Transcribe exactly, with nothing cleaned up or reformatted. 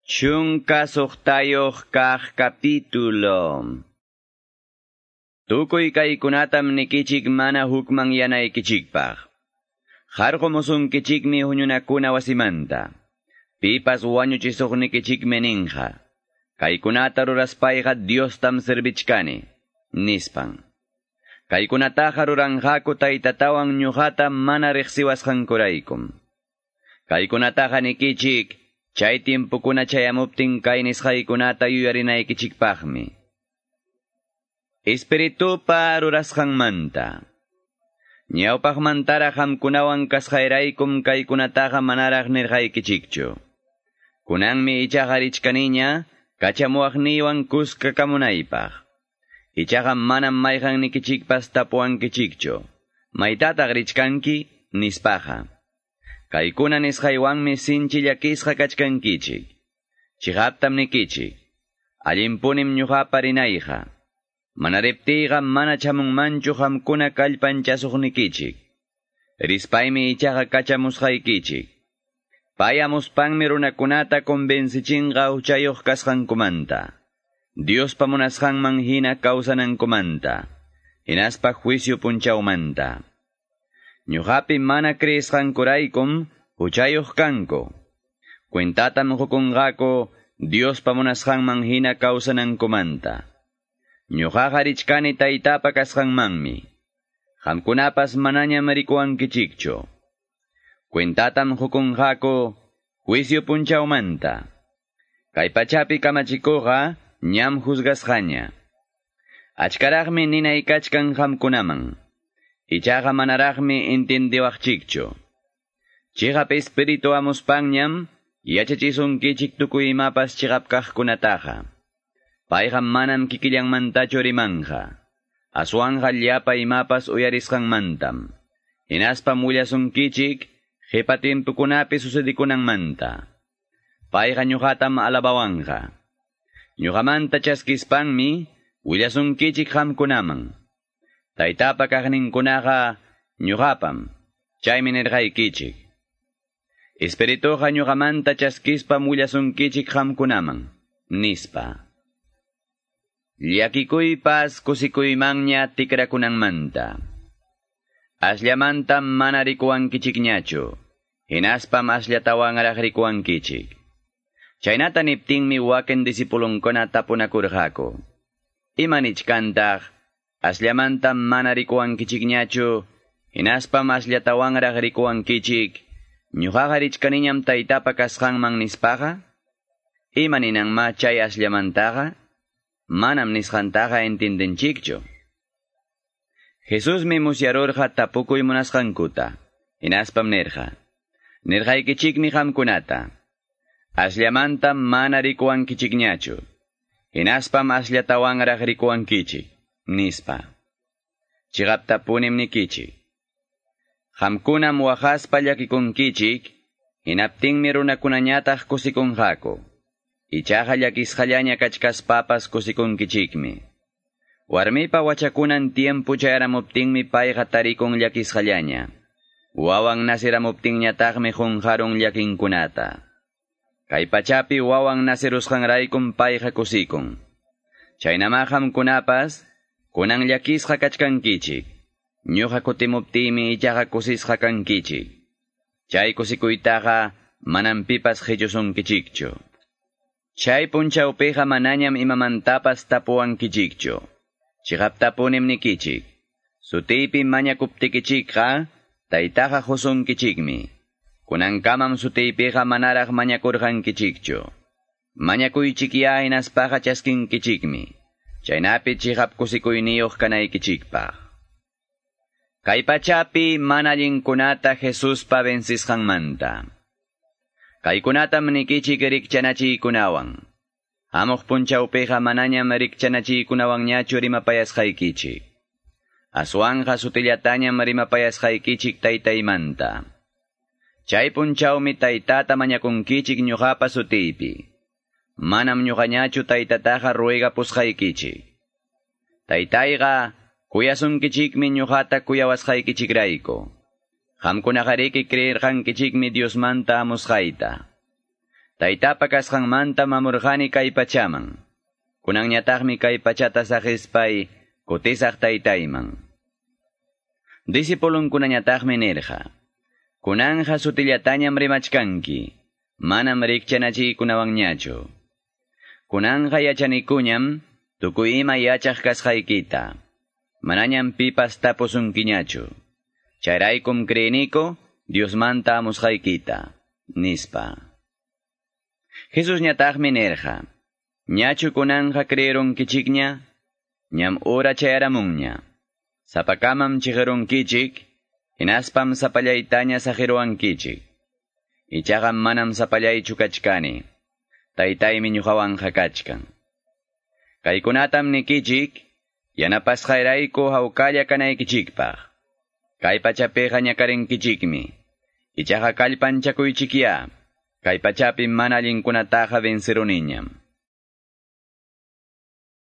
Chunka suqtayuq kaq capítulo. Tukuy kaykunatam nikichik mana hukmanyanaykichikpaq. Qarqumusunkichikmi huñunakuna wasimanta. Pipas wañuchisuqnikichikmi ninqa. Kaykunata ruraspayqa Diostam servichkani, nispan. Kaykunataqa ruranqaku taytatawan ñuqata mana riqsiwasqankuraykum. Kaykunataqa nikichik, chay tiempukuna chayamuptin kay nisqaykunata yuyarinaykichikpaqmi. Espiritupa rurasqanmanta. Ñawpaqmantaraq qamkunawan kasqayraykum kaykunataqa manaraq nirqaykichikchu. Kunanmi ichaqa richkaniña kachamuwaqniywan kuska kamunaypaq. Ichaqa manam mayqannikichikpas tapuwankichikchu. Maytataq richkanki nispaqa. Kaykuna nisqaywanmi sinchi llakisqa kachkankichik. Chiqaptam nikichik. Allinpunim ñuqapa rinayqa. Mana riptiyqa mana chamunmanchu qamkuna kallpanchasuqnikichik. Rispaymi ichaqa kachamusqaykichik. Payamuspanmi runakunata convencichinqa huchayuq kasqankumanta. Diospa munasqanman hina kawsanankumanta. Hinaspa juicio punchawmanta. Ñuqapi mana creesqankuraykum huchayuq kanku. Cuentatam qukunqaku Diospa munasqanman hina kawsanankumanta. Ñuqaqa richkani taytapa kasqanmanmi. Qamkunapas manañam rikuwankichikchu. Cuentatam qukunqaku juicio punchawmanta. Kay pachapi kamachikuqqa ñam juzgasqaña. Achkaraqmi ninay kachkan qamkunaman. Ichaqa manaraqmi entendiwaqchikchu. Chiqap espíritu amuspanñam yachachisunkichik tukuy imapas chiqap kaqkunataqa. Payqa manam kikillanmantachu rimanqa. Aswanqa llapa imapas uyarisqanmantam. Hinaspam willasunkichik qipa timpukunapi sucedikunanmanta. Payqa ñuqatam alabawanqa. Ñuqamanta chaskispanmi willasunkichik qamkunaman. Taytapa kaqninkunaqa ñuqapam, chaymi nirqaykichik. Espirituqa ñuqamanta chaskispam willasunkichik qamkunaman, nispa. Llakikuypas kusikuymanña tikrakunanmanta. Asllamantam mana rikuwankichikñachu, hinaspam asllatawanraq rikuwankichik. Chaynata niptinmi wakin disipulunkuna tapunakurqaku. Ima nichkantaq, asllamantam mana rikuwankichikñachu, hinaspam asllatawanraq rikuwankichik, ñuqaqa richkaniñam taytapa kasqanman nispaqa? Ima ninanma chay asllamantaqa? Manam nisqantaqa entendenchikchu. Jesusmi musyarurqa tapukuy munasqankuta, hinaspam nirqa. Nirqaykichikmi qamkunata. Asllamantam mana rikuwankichikñachu, hinaspam asllatawanraq rikuwankichik, nispa. Chiqaptapunim nikichik. Qamkunam waqaspa llakikunkichik, hinaptinmi runakunañataq kusikunqaku. Ichaqa llakisqallaña kachkaspapas kusikunkichikmi. Warmipa wachakunan tiempo chayaramuptinmi payqa tarikun llakisqallaña. Wawan nasiramuptinñataqmi qunqarun llakinkunata. Kay pachapi wawan nasirusqanraykum payqa kusikun. Chaynama qamkunapas kunan llakisqa kachkankichik. Ñuqa kutimuptiymi ichaqa kusisqa kankichik. Chay kusikuytaqa manam pipas qichusunkichikchu. Chay punchawpiqa manañam imamantapas tapuwankichikchu. Chiqaptapunim nikichik. Sutiypi mañakuptikichikqa taytaqa qusunkichikmi. Kunankamam sutiypiqa manaraq mañakurqankichikchu. Mañakuychikya hinaspaqa chaskinkichikmi. Chaynapi chiqap kusikuyniyuq kanaykichikpaq. Kay pachapi mana allinkunata Jesuspa vencisqanmanta. Kaykunatam nikichik rikchanachiykunawan. Hamuq punchawpiqa manañam rikchanachiykunawanñachu rimapayasqaykichik. Aswanqa sutillatañam rimapayasqaykichik taytaymanta. Chay punchawmi taytata mañakunkichik ñuqapa sutiypi. Manam ñuqañachu taytataqa ruegapusqaykichik. Taytayqa kuyasunkichikmi ñuqata kuyawasqaykichikrayku. Qamkunaqariki creerqankichikmi Diosmanta amusqayta. Taytapa kasqanmanta mamurqani kay pachaman. Kunanñataqmi kay pachata saqispay kutisaq taytayman. Discipulunkunañataqmi nirqa. Kunanja sutillatañam rimachkanki, manam rikchanachiykunawanñachu. Kunanja yachanikuñam tukuy ima yachaq kasqaykita. Manañam pipas tapusunkiñachu. Chayraykum creeniku Diosmanta amusqaykita, nispa. Jesus ñataqmi nirqa. Ñachu kunanja creerunkichikña, ñam ora chayaramunña. Sapakamam chiqirunkichik, hinaspam sapallaytaña saqiruwankichik. Ichaqa manam sapallaychu kachkani. Taytaymi ñuqawanqa kachkan. Kaykunatam nikichik, yanapasqayrayku hawkalla kanaykichikpaq. Kay pachapiqa ñakarinkichikmi. Ichaqa kallpanchakuychikya. Kay pachapi mana allinkunataqa venceruniñam.